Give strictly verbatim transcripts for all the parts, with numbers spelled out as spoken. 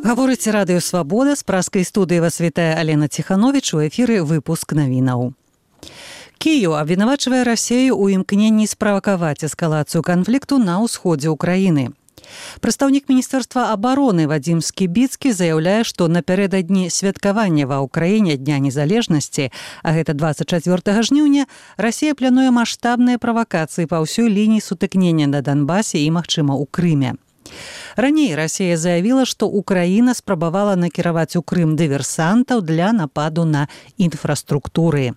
Гаворыць радыё «Свабода», з праскай студыі вас вітае Алена Ціхановіч, у эфіры выпуск навінаў. Кіеў абвінавачвае Расею ў імкненні справакаваць эскалацыю канфлікту на ўсходзе ўкраіны. Прадстаўнік Міністэрства абароны Вадзім Скібіцкі заяўляе, што напярэдадні святкавання ва ўкраіне Дня незалежнасці, а гэта дваццаць чацвёртага жніўня, Расія плануе маштабныя правакацыі па ўсёй лініі сутыкнення на Донбасе і, магчыма, у Крыме. Раней Расія заявіла, што Украіна спрабавала накіраваць у Крым дыверсантаў для нападу на інфраструктуры.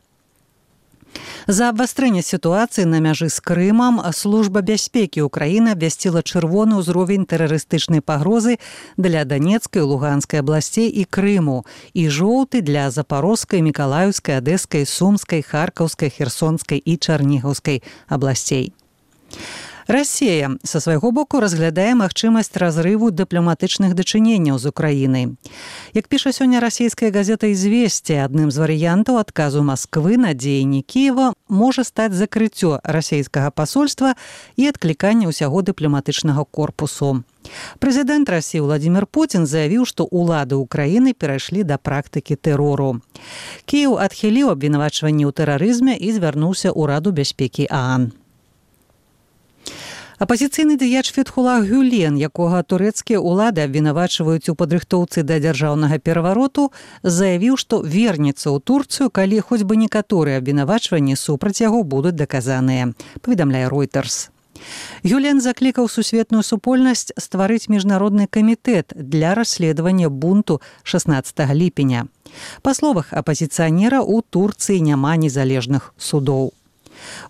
За абвастрэнне сітуацыі на мяжы з Крымам Служба бяспекі Украіны абвясціла чырвоны ўзровень тэрарыстычнай пагрозы для Данецкай, Луганскай абласцей і Крыму і жоўты для Запорожскай, Мікалаеўскай, Адэскай, Сумскай, Харкаўскай, Херсонскай і Чарнігаўскай абласцей. Расія са свайго боку разглядае магчымасць разрыву дыпламатычных дачыненняў з Украінай. Як піша сёння расійская газета «Известия», адным з варыянтаў адказу Масквы на дзеянні Кіева можа стаць закрыццё расійскага пасольства і адкліканне ўсяго дыпламатычнага корпусу. Прэзідэнт Расіі Владзімір Пуцін заявіў, што ўлады ўкраіны перайшлі да практыкі тэрору. Кіеў адхіліў абвінавачванні ў тэрарызме і звярнуўся ў Раду бяспекі ААН. Апазіцыйны дыяч Фетхулах Гюлен, якога турэцкія ўлады абвінавачваюць у падрыхтоўцы да дзяржаўнага перавароту, заявіў, што вернецца ў Турцыю, калі хоць бы некаторыя абвінавачванні супраць яго будуць даказаныя, паведамляе Reuters. Гюлен заклікаў сусветную супольнасць стварыць міжнародны камітэт для расследавання бунту шаснаццатага ліпеня. Па словах апазіцыянера, у Турцыі няма незалежных судоў.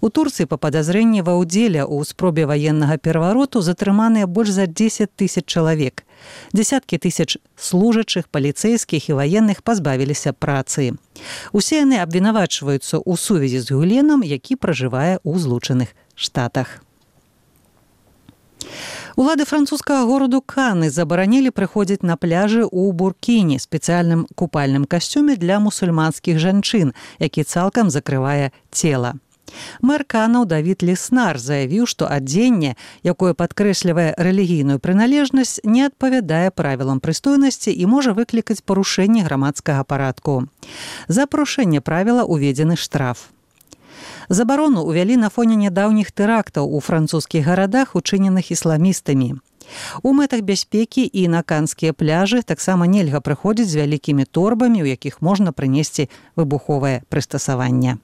У Турцыі па падазрэнні ва ўдзеле ў спробе ваеннага перавароту затрыманыя больш за дзесяць тысяч чалавек. Дзесяткі тысяч служачых, паліцэйскіх і ваенных пазбавіліся працы. Усе яны абвінавачваюцца ў сувязі з Гюленам, які пражывае ў Злучаных Штатах. Улады французскага гораду Каны забаранілі прыходзіць на пляжы ў буркіні, спецыяльным купальным касцюме для мусульманскіх жанчын, які цалкам закрывае цела. Мэр Канаў Давід Леснар заявіў, што адзенне, якое падкрэслівае рэлігійную прыналежнасць, не адпавядае правілам прыстойнасці і можа выклікаць парушэнне грамадскага парадку. За парушэнне правіла уведзены штраф. Забарону ўвялі на фоне нядаўніх тэрактаў у французскіх гарадах, учыненых ісламістамі. У мэтах бяспекі і на канскія пляжы таксама нельга прыходзіць з вялікімі торбамі, у якіх можна прынесці выбуховае прыстасаванне.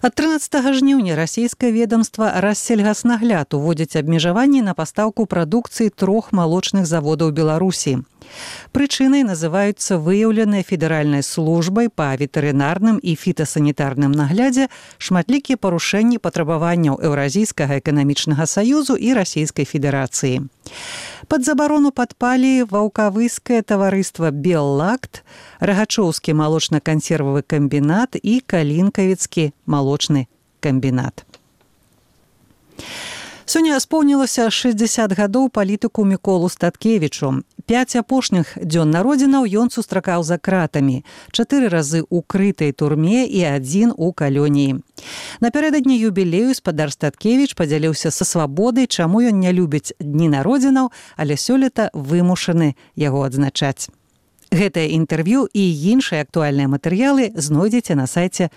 Ад трынаццатага жніўня расійскае ведамства Рассельгаснагляд уводзіць абмежаванні на пастаўку прадукцыі трох малочных заводаў Беларусі. Прычынай называюцца выяўленыя федэральнай службай па ветэрынарным і фітасанітарным наглядзе шматлікія парушэнні патрабаванняў Еўразійскага эканамічнага саюзу і Расійскай Федэрацыі. Пад забарону падпалі ваўкавыскае таварыства «Беллакт», Рагачоўскі малочна-кансервавы камбінат і Калінкавіцкі малочны камбінат. Сёння споўнілася шэсцьдзесят гадоў палітыку Міколу Статкевічу. Пяць апошніх дзён народзінаў ён сустракаў за кратамі, чатыры разы ў крытай турме і адзін у калоніі. Напярэдадні юбілею спадар Статкевіч падзяліўся са свабодай, чаму ён не любіць дні народзінаў, але сёлета вымушаны яго адзначаць. Гэтае інтэрв'ю і іншыя актуальныя матэрыялы знойдзеце на сайце